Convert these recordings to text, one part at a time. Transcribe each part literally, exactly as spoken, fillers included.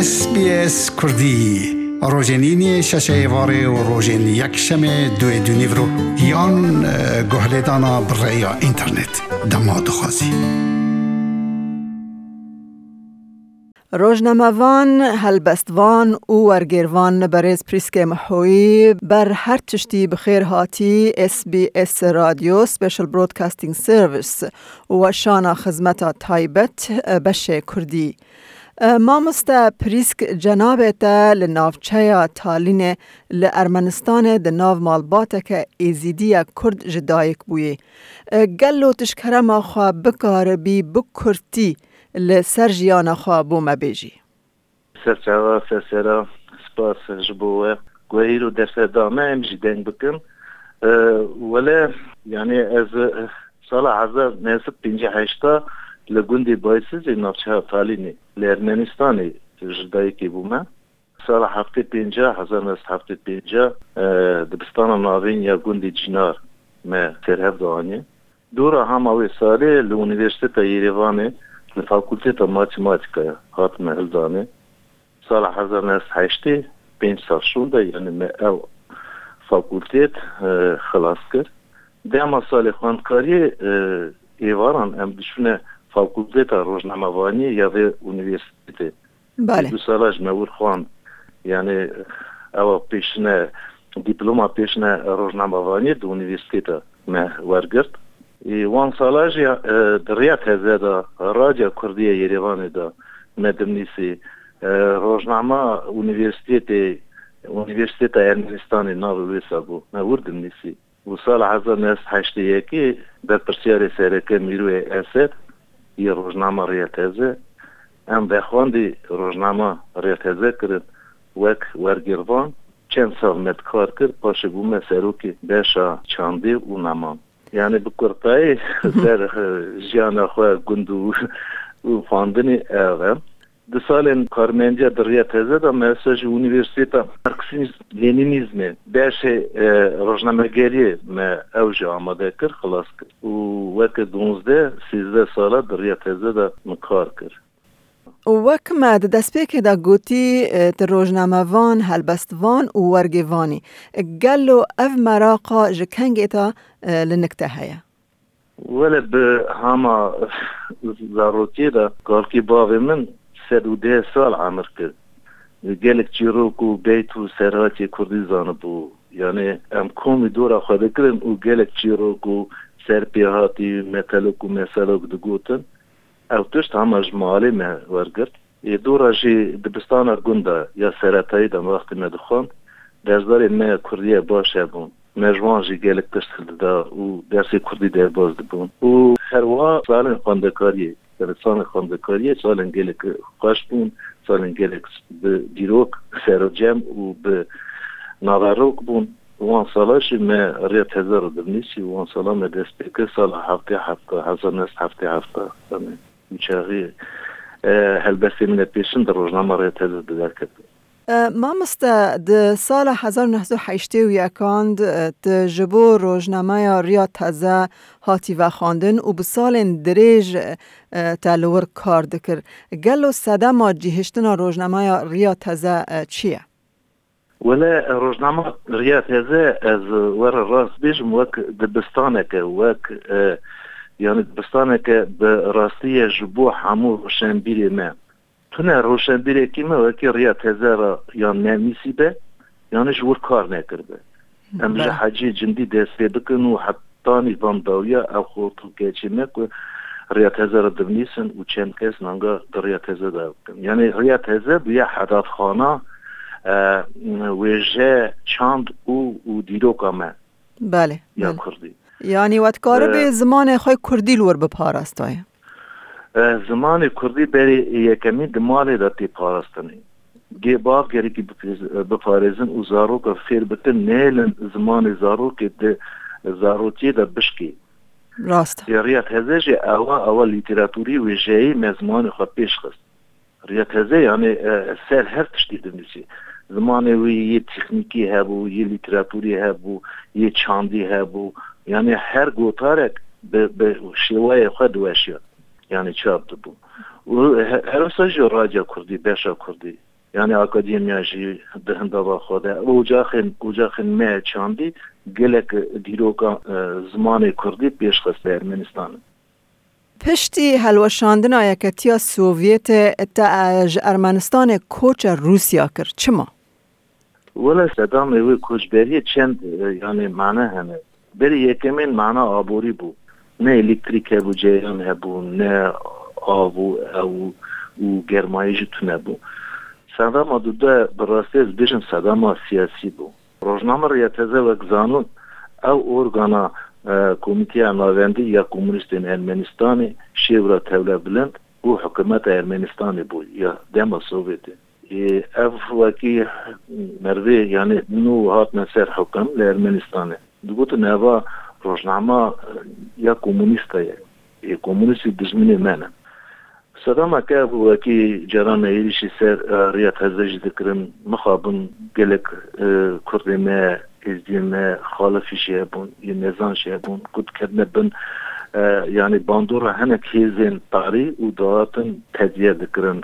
S B S Kurdî, rojên îniyê şeşê êvarê û rojên yekşemê duê dûnîvro yan, e, guhlêdana bi rêya înternet. Dema dixwazî. Rojnamevan, helbestvan û wergêrvan berêz Prîskê Mihoyî ber her tiştî bi xêr hatî S B S Radio Special Broadcasting Service û weşana xizmeta taybet, e, beşê Kurdî. E, mamoste Prîsk, cenabê te li navçeya Talînê li Ermenistanê di nav malbateke Êzîdiya Kurd ji dayik bûyî. E, gelo tu ji kerema xwe bikaribî bi kurtî li ser jiyana xwe bo me bêjî? Serçava, sersera, spas ji bo we. Guhîr û derfet da me, em jî deng bikin. E, wele, yani ez, e, sala hezar neh sed pêncî heşta li gundê Baysizê navçeya Talînê li Ermenistanê ji dayikê bûme. Sala heftê pênca, hezar neh sed heftê pênca, e, dibistana navîn ya gundê Cînar me ser hev de aniye. Dora hema wê salê li Unîversîteta Yerêvanê li Fakulteta Matematîkayê hatime hildanê. Sala hezar neh sed heştê, pênc sal şûnde, yani me ew fakultet, e, xilas kir. Dema salê xwendkariyê, e, êvaran em diçûne Fakulteta Rojnamevaniyê ya vê unîversîtetê. Belê. Du sala ji me wir xwend. Yani ewa pêşine, dîploma pêşine rojnamevaniyê di unîversîteta me wergirt. Ê, wan sala jî, e, di riya teze de Radya Kurdî ya Yerêvanê de me dimnîsî. E, rojnama unîversîtetê, Unîversîteta Ermenistanê navê wê sa bû. Me wir dimnîsî. Û sala hezar neh sed heştê yekê berpirsiyarê sereke Mîroyê Esed yê rojnama Riya Teze, em vexwendî rojnama Riya Teze kirin wek wergêrvan. Çend sal me kar kir, paşê bûme serokê beşa çandê û neman. Yani bi kurtayî ser, e, jiyana xwe gund û, û xwendinê ev e. Di salên karmendiya di Riya Teze de me ser ji Unîversîteta Marksîzm Lenînîzmê beşê, e, rojnamegeriyê me ew jî amade kir, xilas kir. Û weke duwazdeh, sêzdeh sala di Riya Teze de min kar kir. Û wek me di destpêkê de gotî, e, tu rojnamevan, helbestvan û wergêvan î. Gelo ev meraqa ji kengê te, e, li nik te heye? Wele bi hama zarokiyê de kalkî bavê min sed û deh sal emir kir. Gelek çîrok û beyt û serhatiyê kurdî zanibû. Yani em komî dora xwe dikirin û gelek çîrok û serpêhatî, metelok û meselok digotin. Ew tişt hema ji malê me wergirt. Ê dora jî dibistana gunda ya seretayî de wextê me dixwend, dersdarê me kurdiye baş hebûn. Me ji wan jî gelek tişt hildida û dersê kurdî derbas dibûn. Û herwiha salên xwendekariyê, yani salên xwendekariyê, salên gelek xweş bûn, salên gelek bi dîrok serocem û bi naverok bûn. Wan sala jî me Riya Teze re dinivîsî û wan sala me dest pê kir sala heftê hefta, hezar neh sed heftê hefta. Demê û çaxî, e, helbestê min ê pêşin di rojnama Riya Teze de derketiye. E, mamoste, di sala hezar neh sed û heştê û yekan de, e, tu ji bo rojnameya Riya Teze hatî vexwendin û bi salên dirêj, e, te li wir kar dikir. Gelo sedema cihiştina rojnameya Riya Teze, e, çi ye? Wele rojnama Riya Teze, ez were rast bêjim, wek dibistaneke, wek, e, yani dibistaneke bi rastî ye ji bo hemû roşenbîrê me. Tune roşenbîrekî me wekî Riya Teze re yan nenivîsîbe, yan ji wir kar nekiribe. Em ji Hecî Cindî dest pê bikin û hetanî van dawiya ev xortû keçê me ku Riya Teze re dinivîsin û çend kes nanga di Riya Teze de bikin. Yani Riya Teze bûye hedatxana, e, wêje, çand û, û dîroka me Belê, ya belê. Kurdî. Yani we dikaribê E, zimanê xwe kurdî li wir biparastayê? E, zimanê kurdî berê yekemîn di malê de tê parastinê. Gê bav gerekî bipêz-, biparêzin û zaroka fêr bikin, nehêlin zimanê zarokê di zarokiyê de bişkê. Rast e. Ê Riya Teze jî ewa, ewa lîteraturî wêjeyî me zimanê xwe pêş xist. Riya Teze, yani, e, ser her tiştî dinivîsî. Zimanê wî yê teknîkî hebû, yê lîteraturî hebû, yê çandî hebû. Yani her gotarek bi, bi şêwayê xwe diweşiya. Yani çap dibû. Û he-, her wisa jî radya kurdî, beşa kurdî, yanî akademiya jî di hindava xwe de, ocaxên, ocaxên me çandî gelek dîroka, e, zimanê kurdî pêşxist li Ermenistanê. Piştî helweşandina Yeketiya Sovyetê te, e, ji Ermenistanê koça Rûsya kir. Çima? Wele sedamê wê koçberiyê çend, e, yanî mane hene. Berî yekemên mana aborî bû. Ne elektrîk hebû, cereyan hebû, ne av û ew û germayî jî tune bû. Sedama dude bi rastî ez bêjim sedama siyasî bû. Rojname Riya Teze wek zanûn ew organa, e, Komîteya Navendî ya Komunîstên Ermenistanê, Şêwra Tewlebilind û Hikûmeta Ermenistanê bû ya dema Sovyetê. Ê, ev wekî merivê, yanî nû hatine ser hukum li Ermenistanê. Digotin eva rojnama, e, ya komunîsta ye. Ê, komunîstî dijminê me ne. Sedama ke ev wekî caran êrîşî ser, e, Riya Teze jî dikirin, mixabin gelek, e, kurdê me, êzdiyê me, xalifî jî hebûn, yê mezan jî hebûn, ku diketine bin, e, yanî bandora hinek hêzên tarî û dihatin tediye dikirin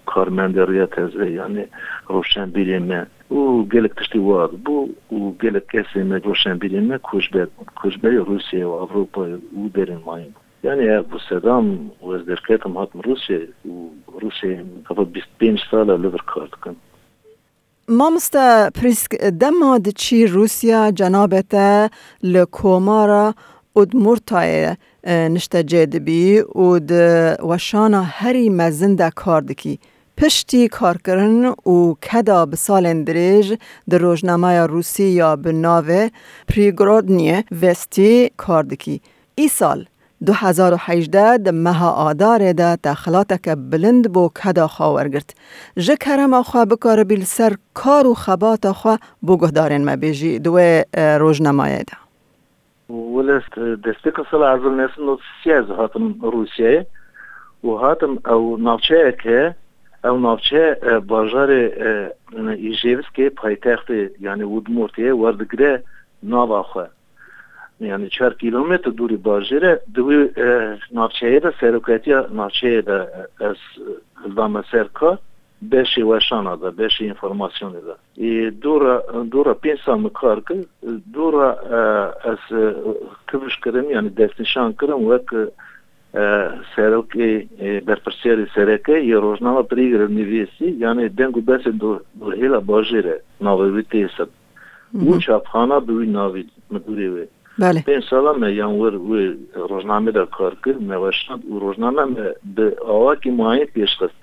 karmendê Riya Teze, yanî roşenbîrê me. Û gelek tiştî wa bû û gelek kesê me, roşenbîrê me koçber bûn. Koçberê Rûsyayê û Ewropayê û derên mayîn bûn. Yanî ev bû sedam û ez derketim hatim Rûsyayê û Rûsyayê heva bîst pênc sal e li vir kar dikim. Mamoste Prîsk, dema diçî Rûsya, cenabê te li komara Udmurtayê, e, niştecê dibî û di weşana herî mezin de kar dikî. Piştî karkirin û keda bi salên dirêj di rojnameya Rûsî ya bi navê Prigrodnye Vestî kar dikî. Îsal, du hezar û hejdeh di meha Adarê de te xelateke bilind bo keda xwe wergirt. Ji kerema xwe bikaribî li ser kar û xebata xwe bo guhdarên me bêjî di wê, e, rojnamayê de. Wele, e, destpêka sala hezar neh sed û nod û sê ez hatim Rûsyayê û hatim ew navçeyeke, ew navçe, e, bajarê, e, Îjevskê, paytextê, yanî Udmurtiyê werdigire nava xwe. Yanî çar kîlometre dûrî bajêr e. Di wî, e, navçeyê de, serokatiya navçeyê de, e, ez, e, hildame ser kar, beşê weşana de, beşê înformasyonê de. Ê, dora, dora pênc sal min kar kir, dora, e, ez, e, kifş kirim, yanî destnîşan kirim wek, e, serokê, e, berpirsiyarê sereke yê rojnama Prigorod Nivêsî, yanî deng û besê do-, dorhêla bajêre, navê wî tê ser. Û çapxana bi wî navî, midûrê wê. Belê. Pênc sala me yan wir wê rojnamê de kar kir, me weşand û rojname me bi awakî mayîn pêş xist.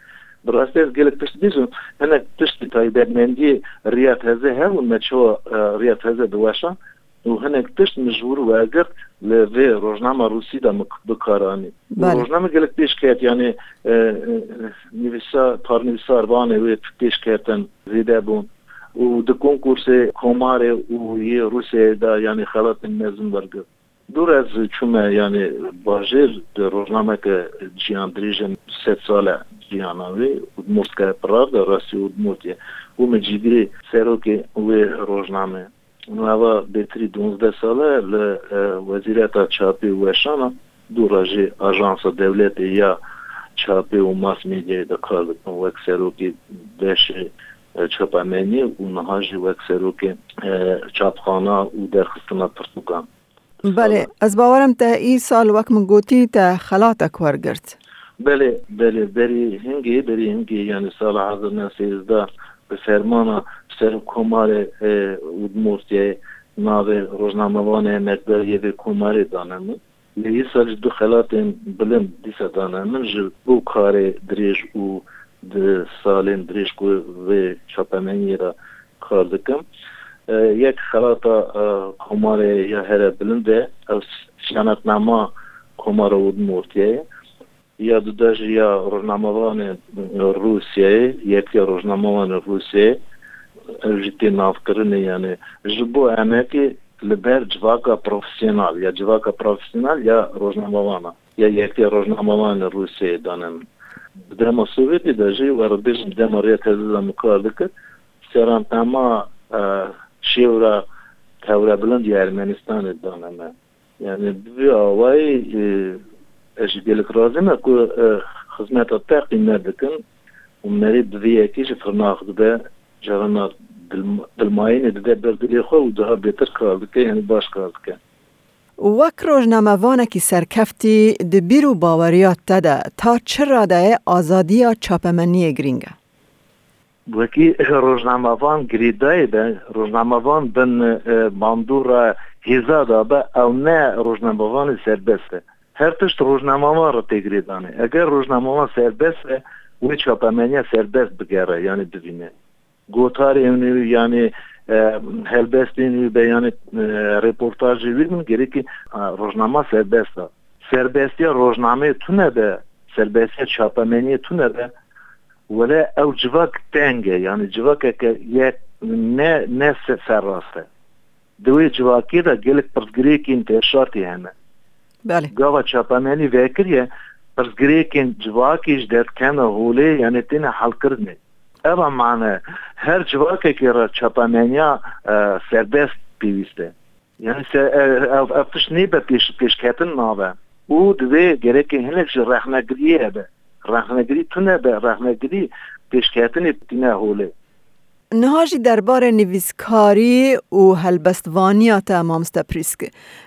Bi rastî ez gelek tişt bîzim, hinek tişt taybetmendiyê Riya Teze hebûn, me çawa, e, Riya Teze diweşand û hinek tişt min ji wir wergirt, li vê rojnama Rûsî de min bi kar anî. Û Belê. rojname gelek pêş ket, yanî, e, e, nivîsa-, parnivîsarvanê wê pêş ketin zêde bûn. Û di konkursê komarê û yê Rûsyayê de, yanî xelatên mezin wergirt. Dûr ez çûme, yanî bajêr di rojnameke ciyan dirêj e, sed sal e ciyana wê, Udmurtskaya Pravda, rastî Udmurtiye. Û min cîgirê serokê wê rojname. Û eva bêtirî duwazdeh sal e li, e, Wezîreta Çapê û Weşana, dûra jî ajansa dewletê ya çapê û mas medyayê de kar dikim wek serokê beşê, e, çapameniyê û niha jî wek serokê, e, çapxana û derxistina pirtûkan. Belê, ez bawerim te îsal wek min gotî te xelatek wergirt. Belê, belê, berî hingê, berî hingê, yanî sala hezar neh sed sêzdeh bi fermana Serokkomarê, e, Udmurtiyayê navê rojnamevanê emekdar yê vê komarê dane min. Lê îsal jî du xelatên bilind dîsa dane min ji bo karê dirêj û di salên dirêj ku vê çapemeniyê de kar dikim. E, yek xelata, e, komarê ya here bilind e, ew siyanetnama Komara Udmurtiyê ye. Ya dude jî ya rojnamevanê Rûsyayê, Yekîtiya Rojnamevanê Rûsyayê, ev jî tê navkirinê, yanî ji bo emekê li ber civaka profesyonel ya civaka profesyonel ya rojnamevana ya Yekîtiya Rojnamevanê Rûsyayê dane min. Di dema Sovyetê de jî, we re bêjim, dema Rêya Teze de min kar dikir, serantema, e, şêwra tewrebilind ya Ermenistanê dane me. Yani bi vî awayî, e, ez jî gelek razî me ku, e, Xizmeta te qîmet dikin û merî bi vî yekê jî firnax dibe, carana dil-, dilmayînê dide ber dilê xwe û daha bêtir kar dike, yanî baş kar dike. Wek rojnamevanekî serkeftî, di bîr û baweriya te de ta çi radeyê azadiya çapemeniyê girîng e? Wekî rojnamevan girêdayî be, rojnamevan bin, e, bandora hêza de be, ew ne rojnamevanê serbest e. Her tişt rojnamevan re tê girêdanê. Eger rojnamevan serbest be, wê çapemeniya serbest bigere, yanî bivîne. Gotarên wî, yanî, e, helbestên wî be, yanî, e, reportajê wî bin, gerekî, e, rojnama serbest e. Serbestiya rojnameyê tune be, serbestiya çapemeniyê tune be, wele ew civak teng e, yanî civakeke yek ne, ne se-, serrast e. Di wê civakê de gelek pirsgirêkên tevşartî hene. Belê. Gava çapemenî vekiriye, pirsgirêkên civakê ji derdikevine holê, yanî têne helkirinê. Eva mane, her civakekê re çapemeniya, e, serbest pêwîst e. Yanî se-, e, ev, ev tişt nêbe pêş-, pêşketin nabe. Û divê gerekê hinek ji rexnegiriyê hebe. Rexnegirî tune be, rexnegirî pêşketinê tîne holê. Niha jî derbarê nivîskarî û helbestvaniya te, mamoste Prîsk.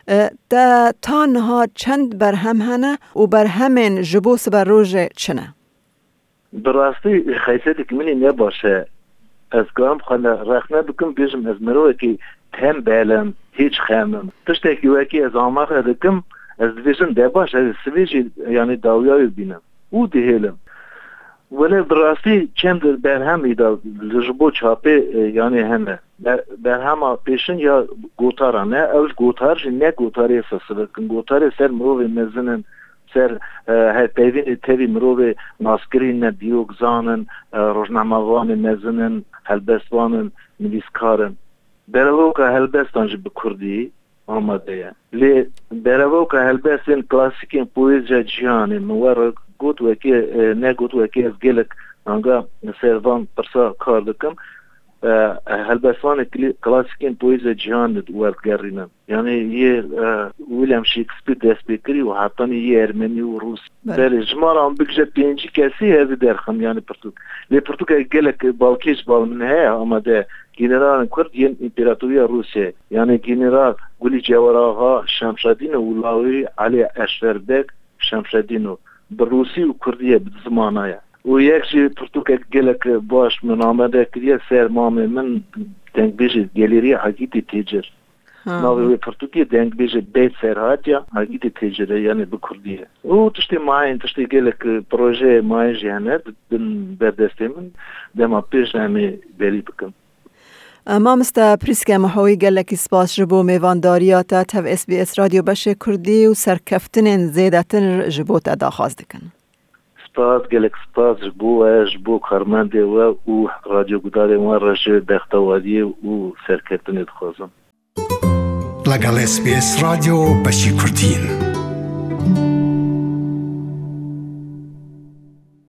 E, te ta niha çend berhem hene û berhemên ji bo siberojê çi ne? Bi rastî xeysetek min ê ne baş e. Ez karim xwe ne rexne bikim, bêjim ez mirovekî tembel im, hêç xem im. Tiştekî wekî ez amaxe dikim, ez dibêjim de baş, ez sibê jî, yanî, dawiya wê bînim û dihêlim. Wele bi rastî çend berhem îda li ji bo çapê, e, yanî hene. Ber-, berhema pêşin ya gotaran e, ew ji gotar jî ne gotarê sesivik in. Gotarê ser mirovê mezin in, ser, e, hevpeyvînê tevî mirovê naskirî ne, diyokzan in, e, rojnamevanê mezin in, helbestvan in, nivîskar in. Derevoka helbestan jî bi kurdî amade ye. Lê derevoka helbestên klasîkên poeziya cîhanê, min we re got wekî, e, negot wekî ez gelek anga ser van pirsa kar dikim. E, helbestvanê kli-, klasîkên poeziya cîhanê werdigerînin. Yanî yê, e, William Shakespeare dest pê kirî û hetanî yê ermenî û rûsî. Belê. Belê, ji me re em bigije pêncî kesî ez ê derxim, yanî pirtûk. Lê pirtûkek gelek balkêş bal min heye, amade generalên Kurd yên Împaratoriya Rûsiyê, yanî General Gulî Cewer Axa Şemşedîno û lawî Elî Eşver Beg Şemşedîno, bi rûsî û kurdî ye, bi du zimana ye. Û yek jî pirtûkek gelek baş min amade kiriye ser mamê min, dengbêjê Gelêriya Hagîtî Têcir. Ha. Navê wê pirtûkê dengbêjê Beyt Serhatiya Hagîtî Têcir e, yanî bi kurdî ye. Û tiştê mayîn, tiştê gelek, e, projeyê mayîn jî hene, di bin ber destê min, dema pêş em ê belî bikin. Mamoste Prîske Mihoyî, gelekî spas ji bo mêvandariya te tev S B S Radyo Beşê Kurdî û serkeftinên zêdetir ji bo te daxwaz dikin. Spas, gelek spas ji bo we, ji bo karmendê we û radyogudarên we re ji bextewariyê û serkeftinê dixwazim. لەگەڵ S B S رادیۆ بەشی کوردین.